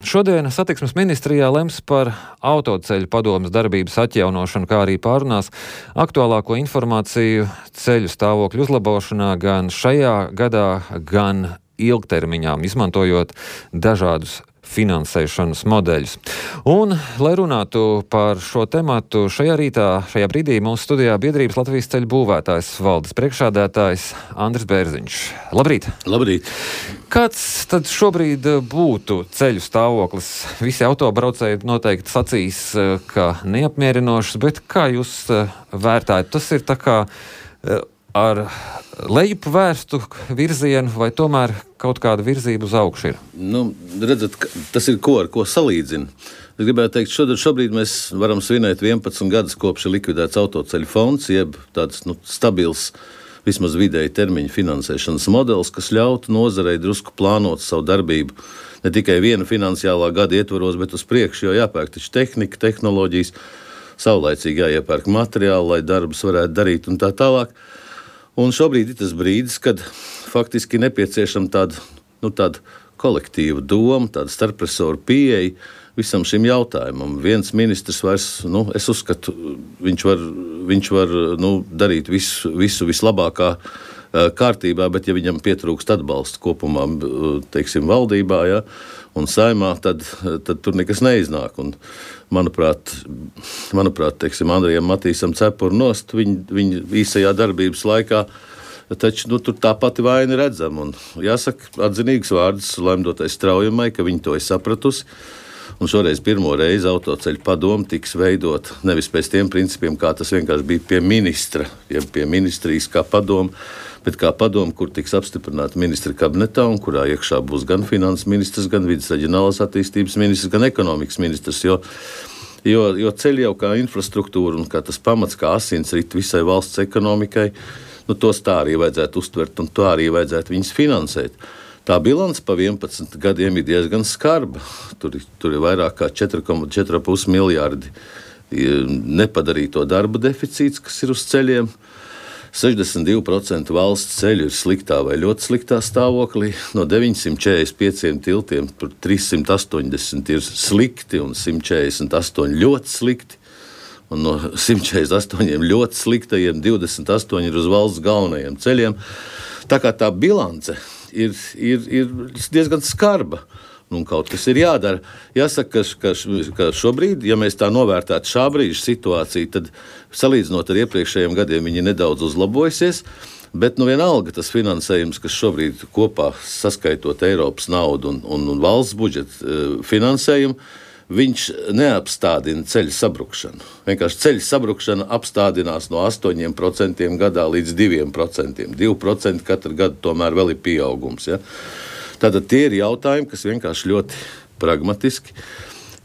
Šodien satiksmes ministrijā lems par autoceļu padomes darbības atjaunošanu, kā arī pārunās aktuālāko informāciju ceļu stāvokļu uzlabošanā gan šajā gadā, gan ilgtermiņā, izmantojot dažādus finansēšanas modeļus. Un, lai runātu par šo tematu, šajā brīdī mūsu studijā biedrības Latvijas ceļu būvētājs valdes priekšsēdētājs Andris Bērziņš. Labrīt! Labrīt! Kāds tad šobrīd būtu ceļu stāvoklis? Visi autobraucēji noteikti sacīs, ka neapmierinošs, bet kā jūs vērtājat? Tas ir tā kā ar lejup vērstu virzienu vai tomēr kaut kāda virzība uz augšu ir? Redzat, tas ir ar ko salīdzina. Es gribētu teikt, šobrīd mēs varam svinēt 11 gadus kopš ir likvidēts autoceļu fonds, jeb tāds stabils, vismaz vidēji termiņa finansēšanas modelis, kas ļautu nozarei drusku plānot savu darbību ne tikai viena finansiālā gada ietvaros, bet uz priekšu, jo jāpērk taču tehnika, tehnoloģijas, saulaicīgi jāiepērk materiāli, lai darbus varētu darīt un tā tālāk. Un šobrīd ir tas brīdis, kad faktiski nepieciešama tāda kolektīva doma, tāda starpresoru pieeja visam šim jautājumam. Viens ministrs vairs, es uzskatu, viņš var darīt visu vislabākā kārtībā, bet ja viņam pietrūkst atbalsta kopumā, teiksim, valdībā, ja, un saimā, tad tur nekas neiznāk. Un, manuprāt, teiksim, Andrijam Matīsam cepuru nost viņa īsajā darbības laikā, taču tur tā pati vaina redzama. Un jāsaka atzinīgs vārds Laimdotai Straujamai, ka viņa to ir sapratusi. Un šoreiz pirmo reizi autoceļu padome tiks veidot nevis pēc tiem principiem, kā tas vienkārši bija pie ministra, ja pie ministrijas kā padome, bet kā padome, kur tiks apstiprināta ministra kabinetā un kurā iekšā būs gan finanses ministrs, gan vidas reģionālās attīstības ministrs, gan ekonomikas ministrs, jo ceļi jau kā infrastruktūra un kā tas pamats, kā asinsrit visai valsts ekonomikai, tos tā arī vajadzētu uztvert un tā arī vajadzētu viņus finansēt. Tā bilance pa 11 gadiem ir diezgan skarba. Tur ir vairāk kā 4,5 miljārdi nepadarīto darba deficīts, kas ir uz ceļiem. 62% valsts ceļu ir sliktā vai ļoti sliktā stāvoklī. No 945 tiltiem 380 ir slikti un 148 ļoti slikti. Un no 148 ļoti sliktajiem 28 ir uz valsts galvenajiem ceļiem. Tā kā tā bilance ir diezgan skarba. Un kaut kas ir jādara. Jāsaka, ka šobrīd, ja mēs tā novērtētu šā brīža situāciju, tad salīdzinot ar iepriekšējiem gadiem viņi nedaudz uzlabojusies, bet vienalga tas finansējums, kas šobrīd kopā saskaitot Eiropas naudu un valsts budžeta finansējumu, viņš neapstādina ceļu sabrukšanu. Vienkārši ceļu sabrukšana apstādinās no 8% gadā līdz 2%. 2% katru gadu tomēr vēl ir pieaugums. Ja? Tātad tie ir jautājumi, kas vienkārši ļoti pragmatiski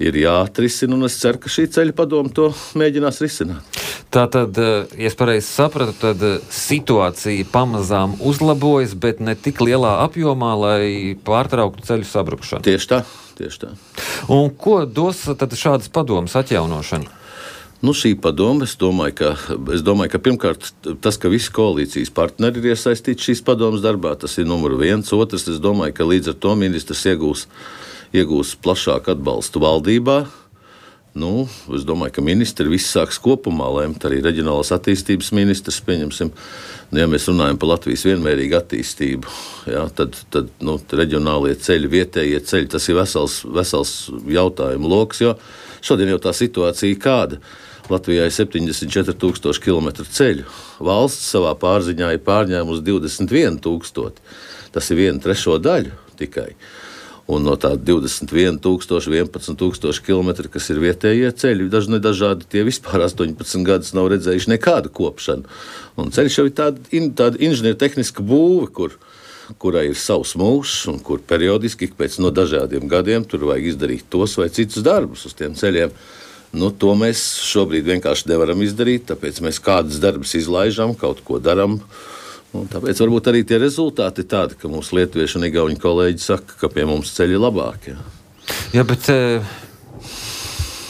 ir jāatrisina, un es ceru, ka šī ceļu padome to mēģinās risināt. Tātad, ja es pareizi sapratu, tad situācija pamazām uzlabojas, bet ne tik lielā apjomā, lai pārtrauktu ceļu sabrukšanu. Tieši tā. Un ko dos tad šādas padomas atjaunošana? Šī padome, es domāju, ka pirmkārt tas, ka visi koalīcijas partneri ir iesaistīti šīs padomas darbā, tas ir numur viens. Otrs, es domāju, ka līdz ar to ministrs iegūs plašāku atbalstu valdībā. Es domāju, ka ministri viss sāks kopumā lemt, arī reģionālās attīstības ministrs, pieņemsim, ja mēs runājam par Latvijas vienmērīgu attīstību, ja, tad reģionālie ceļi, vietējie ceļi, tas ir vesels jautājumu loks, jo šodien jau tā situācija kāda. Latvijā ir 74,000 kilometru ceļu, valsts savā pārziņā ir pārņēmusi 21,000, tas ir 1/3 daļu tikai. Un no tā 21,000, 11,000 kilometri, kas ir vietējie ceļi, dažādi tie vispār 18 gadus nav redzējuši nekādu kopšanu. Un ceļš jau ir tāda inženiertehniska būve, kurai ir savs mūžs un kur periodiski pēc dažādiem gadiem tur vajag izdarīt tos vai citus darbus uz tiem ceļiem. To mēs šobrīd vienkārši nevaram izdarīt, tāpēc mēs kādas darbus izlaižam, kaut ko daram. Un tāpēc varbūt arī tie rezultāti ir tādi, ka mūsu lietuvieši un igauņu kolēģi saka, ka pie mums ceļi labāki. Jā, bet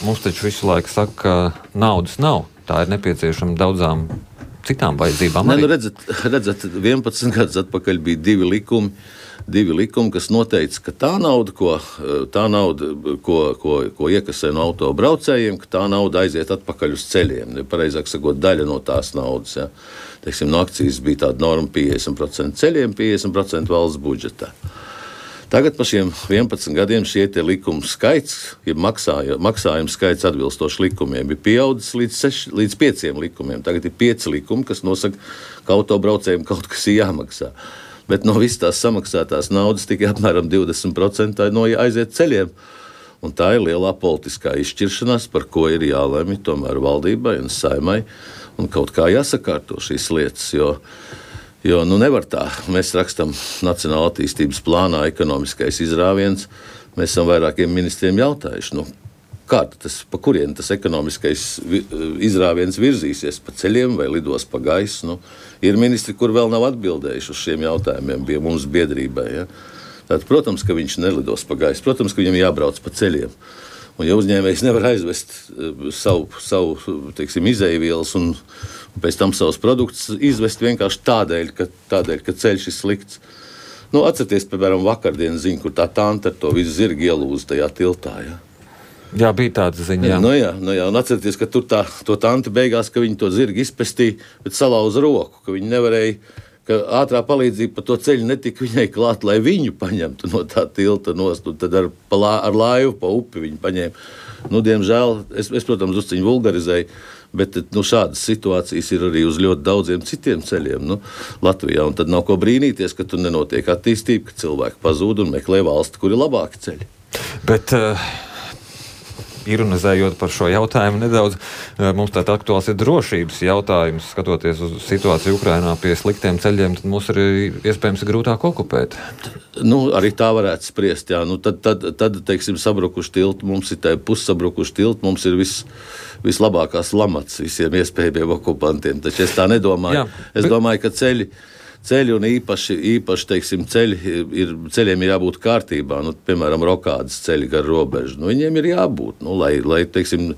mums taču visu laiku saka, ka naudas nav. Tā ir nepieciešama daudzām citām vajadzībām? Ne, redzat, 11 gadus atpakaļ bija divi likumi, kas noteica, ka tā nauda, ko iekasē no autobraucējiem, ka tā nauda aiziet atpakaļ uz ceļiem. Pareizāk sakot, daļa no tās naudas. Ja. Teiksim, no akcijas bija tāda norma 50% ceļiem, 50% valsts budžetā. Tagad par šiem 11 gadiem šie likuma skaits, ja maksājuma skaits atbilstoši likumiem, ir pieaudzis līdz 5 likumiem. Tagad ir 5 likumi, kas nosaka, ka autobraucējiem kaut kas ir jāmaksā. Bet no visas tās samaksātās naudas tikai apmēram 20% aiziet ceļiem. Un tā ir lielā politiskā izšķiršanās, par ko ir jālemj tomēr valdībai un Saeimai. Un kaut kā jāsakārto šīs lietas, jo nevar tā. Mēs rakstam Nacionālā attīstības plānā ekonomiskais izrāviens. Mēs esam vairākiem ministriem jautājuši, pa kurien tas ekonomiskais izrāviens virzīsies, pa ceļiem vai lidos pa gaisu. Ir ministri, kur vēl nav atbildējuši uz šiem jautājumiem, bija mums biedrībai. Ja? Tātad, protams, ka viņš nelidos pa gaisu, protams, ka viņam jābrauc pa ceļiem. Un ja uzņēmējs nevar aizvest savu teiksim, izēvielas un pēc tam savus produktus izvest vienkārši tādēļ, ka ceļš ir slikts. Atcerieties, piemēram, vakardienas ziņu, kur tā tante ar to visu zirgu ielūza tajā tiltā. Ja? Jā, bija tāda ziņa. Jā. Un atcerieties, ka tur to tanti beigās, ka viņi to zirgu izpestīja, bet salauza roku, ka viņi nevarēja, ka ātrā palīdzība pa to ceļu netika viņai klāt, lai viņu paņemtu no tā tilta nost, un tad ar laivu pa upi viņu paņēma. Diemžēl, es protams, uzciņu vulgarizēju, bet šādas situācijas ir arī uz ļoti daudziem citiem ceļiem Latvijā, un tad nav ko brīnīties, ka tur nenotiek attīstība, ka cilvēki pazūd un meklē valsti, kur ir labāki ceļi. Bet ironizējot par šo jautājumu nedaudz, mums tātad aktuāls ir drošības jautājums. Skatoties uz situāciju Ukrainā pie sliktiem ceļiem, tad mums arī iespējams ir grūtāk okupēt. Arī tā varētu spriest, jā. Tad teiksim, sabrukuši tilti, mums ir tā pussabrukuši tilti, mums ir vislabākās lamats visiem iespējamiem okupantiem. Taču es tā nedomāju. Jā, es domāju, ka ceļi un īpaši teiksim, ceļiem ir jābūt kārtībā. Piemēram, rokādas ceļi gar robežu. Viņiem ir jābūt, lai teiksim,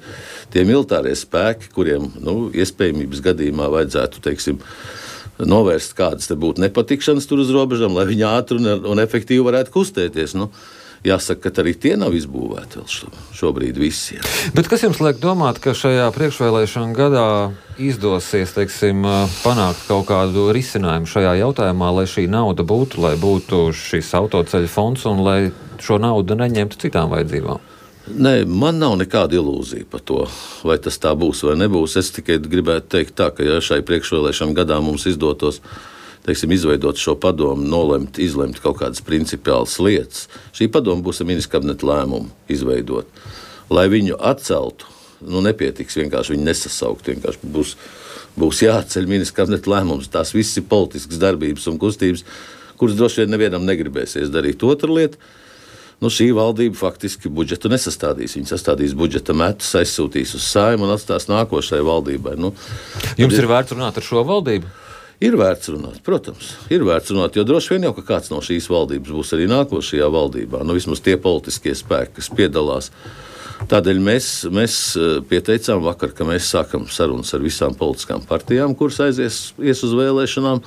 tie militārie spēki, kuriem iespējamības gadījumā vajadzētu teiksim, novērst kādas te būtu nepatikšanas tur uz robežām, lai viņi ātri un efektīvi varētu kustēties. Jāsaka, ka arī tie nav izbūvēti vēl šobrīd visi. Jā. Bet kas jums liek domāt, ka šajā priekšvēlēšana gadā izdosies, teiksim, panākt kaut kādu risinājumu šajā jautājumā, lai šī nauda būtu, lai būtu šis autoceļu fonds un lai šo naudu neņemtu citām vajadzībām? Nē, man nav nekāda ilūzija par to, vai tas tā būs vai nebūs. Es tikai gribētu teikt tā, ka ja šai priekšvēlēšana gadā mums izdotos izveidot šo padomu, izlemt kaut kādas principiālas lietas. Šī padoma būs ar ministra kabineta lēmumu izveidot. Lai viņu atceltu, nepietiks vienkārši viņu nesasaukt. Vienkārši būs jāatceļ ministra kabineta lēmums. Tās viss ir politiskas darbības un kustības, kuras droši vien nevienam negribēsies darīt. Otra lieta, šī valdība faktiski budžetu nesastādīs. Viņa sastādīs budžeta metus, aizsūtīs uz Saeimu un atstās nākošai valdībai. Jums ir vērts runāt ar šo valdību? Ir vērts runāt, protams, jo droši vien jau, ka kāds no šīs valdības būs arī nākošajā valdībā, vismaz tie politiskie spēki, kas piedalās. Tādēļ mēs pieteicām vakar, ka mēs sākam sarunas ar visām politiskām partijām, kuras ies uz vēlēšanām,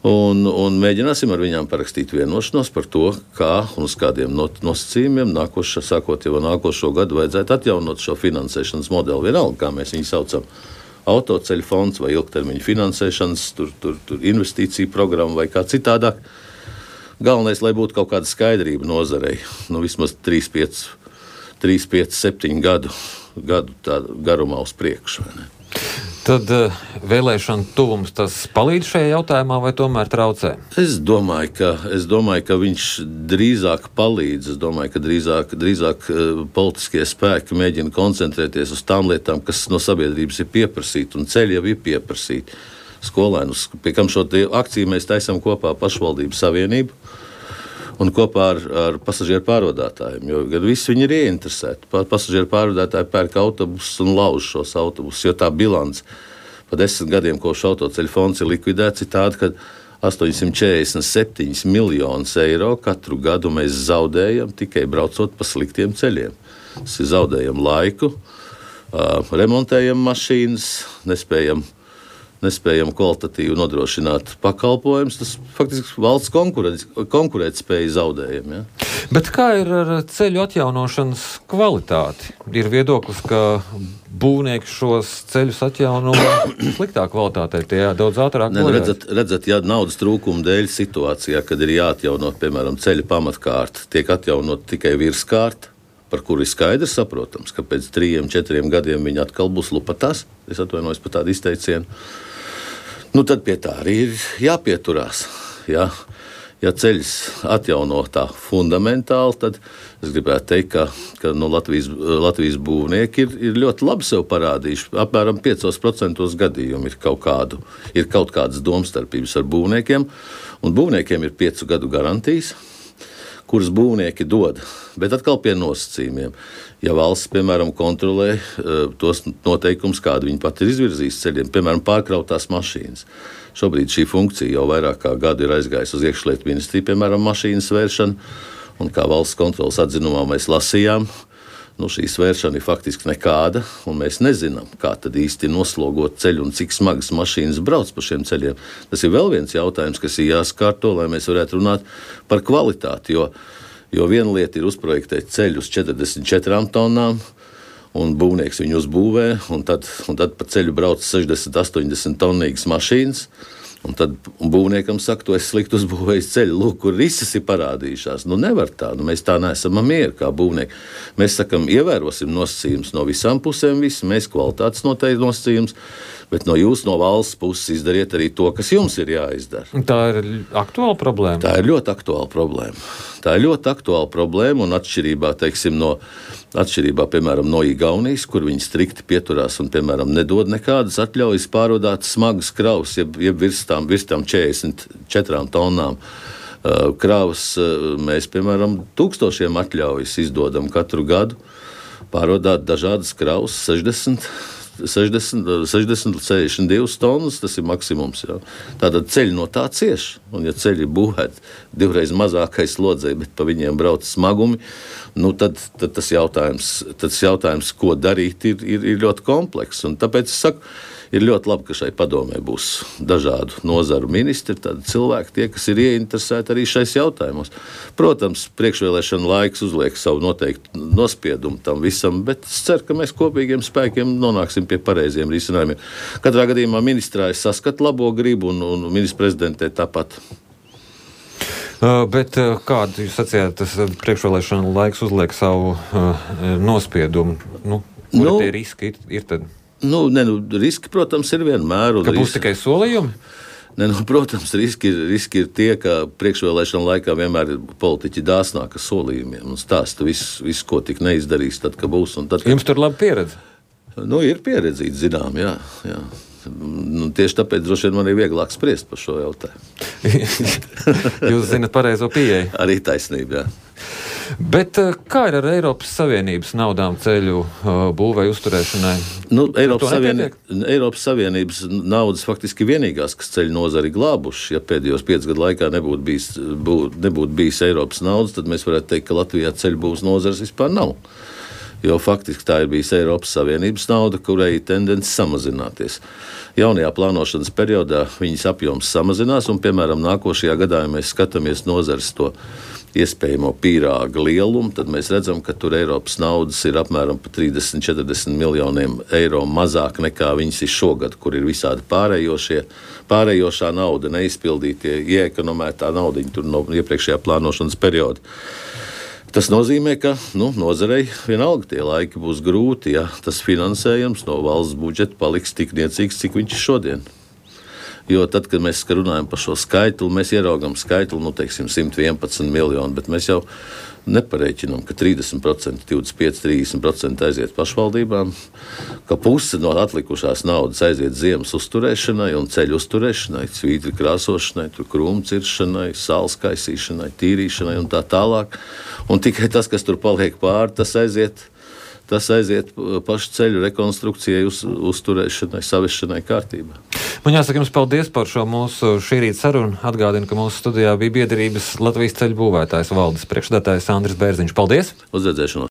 un mēģināsim ar viņām parakstīt vienošanos par to, kā un uz kādiem nosacījumiem sākot jau nākošo gadu vajadzētu atjaunot šo finansēšanas modeli. Vienalga, kā mēs viņu saucam. Autoceļu fonds vai ilgtermiņa finansēšanas, tur investīciju programma vai kā citādāk. Galvenais, lai būtu kaut kāda skaidrība nozarei, vismaz 3, 5, 7 gadu garumā uz priekšu. Tad vēlēšana tuvums tas palīdz šajā jautājumā vai tomēr traucē? Es domāju, ka viņš drīzāk palīdz. Es domāju, ka drīzāk politiskie spēki mēģina koncentrēties uz tām lietām, kas no sabiedrības ir pieprasīti, un ceļi jau ir pieprasīti. Skolēnus, pie kam šo akciju mēs taisam kopā pašvaldību savienību un kopā ar pasažieru pārvadātājiem, jo gan visi viņi ir ieinteresēti. Pasažieru pārvadātāji pērk autobusus un lauž šos autobusus, jo tā bilance pa 10 gadiem, kopš autoceļu fonds ir likvidēts, ir tāda, ka 847 miljonus eiro katru gadu mēs zaudējam tikai braucot pa sliktiem ceļiem. Tas ir zaudējam laiku, remontējam mašīnas, nespējam nespējam kvalitatīvi nodrošināt pakalpojumus, tas faktiski valsts konkurētspēja zaudējumi. Ja? Bet kā ir ar ceļu atjaunošanas kvalitāti? Ir viedoklis, ka būvnieki šos ceļus atjauno sliktā kvalitātē, tie daudz ātrāk. Redzat, ja naudas trūkuma dēļ situācijā, kad ir jāatjaunot, piemēram, ceļa pamatkārta, tiek atjaunot tikai virskārta, par kuru ir skaidrs saprotams, ka pēc 3-4 gadiem viņi atkal būs lupatās. Es atvainojos par tādu izteicienu. Tad pie tā arī ir jāpieturās. Ja ceļš atjauno tā fundamentāli, tad es gribētu teikt, ka Latvijas būvnieki ir ļoti labi sev parādījuši. Apmēram 5% gadījumu ir kaut kādas domstarpības ar būvniekiem, un būvniekiem ir 5 gadu garantijas, kuras būvnieki dod, bet atkal pie nosacījumiem. Ja valsts, piemēram, kontrolē tos noteikumus, kādu viņi pat ir izvirzījusi ceļiem, piemēram, pārkrautās mašīnas. Šobrīd šī funkcija jau vairāk kā gadu ir aizgājusi uz iekšlietu ministriju, piemēram, mašīnas vēršana, un kā valsts kontrolas atzinumā mēs lasījām, šī svēršana ir faktiski nekāda, un mēs nezinām, kā tad īsti noslogot ceļu un cik smagas mašīnas brauc pa šiem ceļiem. Tas ir vēl viens jautājums, kas ir jāskārto, lai mēs varētu runāt par kvalitāti, jo viena lieta ir uzprojektēt ceļu uz 44 tonnām, un būvnieks viņu uzbūvē, un tad pa ceļu brauc 60-80 tonnīgas mašīnas, un tad būvniekam saka, tu esi slikti uzbūvējis ceļu, lūk, kur risas ir parādījušās. Nevar tā, mēs tā neesam mieri kā būvnieki. Mēs sakam, ievērosim nosacījumus no visām pusēm, mēs kvalitātes noteikti nosacījumus, bet no valsts puses izdariet arī to, kas jums ir jāizdara. Tā ir aktuāla problēma? Tā ir ļoti aktuāla problēma. Un atšķirībā, piemēram, no Igaunijas, kur viņi strikti pieturās un, piemēram, nedod nekādas atļaujas pārvadāt smagas kravas, jeb virs tām 44 tonnām kravas. Mēs, piemēram, 1000 atļaujas izdodam katru gadu pārvadāt dažādas kravas, 60-62 tonnas, tas ir maksimums. Jā. Tātad ceļi no tā cieš, un ja ceļi ir būvēti 2 mazākai slodzei, bet pa viņiem brauc smagumi, tad tas jautājums, ko darīt, ir ļoti komplekss. Un tāpēc es saku, ir ļoti labi, ka šai padomē būs dažādu nozaru ministri, tādi cilvēki, tie, kas ir ieinteresēti arī šais jautājumos. Protams, priekšvēlēšana laiks uzliek savu noteiktu nospiedumu tam visam, bet es ceru, ka mēs kopīgiem spēkiem nonāksim pie pareiziem risinājumiem. Katrā gadījumā ministrā es saskatu labo gribu un ministra prezidentē tāpat. Bet kādu jūs sacījāt, tas priekšvēlēšana laiks uzliek savu nospiedumu? Kuri tie riski ir tad? Riski, protams, ir vienmēr. Ka būs tikai solījumi? Protams, riski ir tie, ka priekšvēlēšana laikā vienmēr ir politiķi dāsnāki ar solījumiem un stāsta visu, ko tik neizdarīs, tad, ka būs. Jums tur laba pieredze? Ir pieredzīti, zinām, jā. Tieši tāpēc droši vien man ir vieglāk spriest par šo jautājumu. Jūs zinat pareizo pieeju? Arī taisnība, jā. Bet kā ir ar Eiropas Savienības naudām ceļu būvei uzturēšanai? Eiropas Savienības naudas faktiski vienīgās, kas ceļu nozari glābuši. Ja pēdējos 5 gadu laikā nebūtu bijis Eiropas naudas, tad mēs varētu teikt, ka Latvijā ceļu būvs nozars vispār nav. Jo faktiski tā ir bijusi Eiropas Savienības nauda, kurai ir tendence samazināties. Jaunajā plānošanas periodā viņas apjoms samazinās, un, piemēram, nākošajā gadā, ja mēs skatāmies nozares to iespējamo pīrāga lielumu, tad mēs redzam, ka tur Eiropas naudas ir apmēram pa 30-40 miljoniem eiro mazāk nekā viņas ir šogad, kur ir visādi pārējošā nauda, neizpildītie, ieekonomētā naudiņa tur no iepriekšējā plānošanas perioda. Tas nozīmē, ka nozarei vienalga tie laiki būs grūti, ja tas finansējums no valsts budžeta paliks tik niecīgs, cik viņš ir šodien. Jo tad, kad mēs runājam par šo skaitli, mēs ieraugam skaitli, 111 miljoni, bet mēs jau neparēķinām, ka 30%, 25-30% aiziet pašvaldībām, ka puse no atlikušās naudas aiziet ziemas uzturēšanai un ceļu uzturēšanai, svītri krāsošanai, krūmu ciršanai, sāls kaisīšanai, tīrīšanai un tā tālāk. Un tikai tas, kas tur paliek pāri, tas aiziet pašu ceļu rekonstrukcijai, uzturēšanai, saviešanai kārtībā. Man jāsaka jums paldies par šo mūsu šī rīta sarunu. Atgādinu, ka mūsu studijā bija biedrības Latvijas ceļu būvētājs valdes priekšsēdētājs Andris Bērziņš. Paldies! Uz redzēšanos!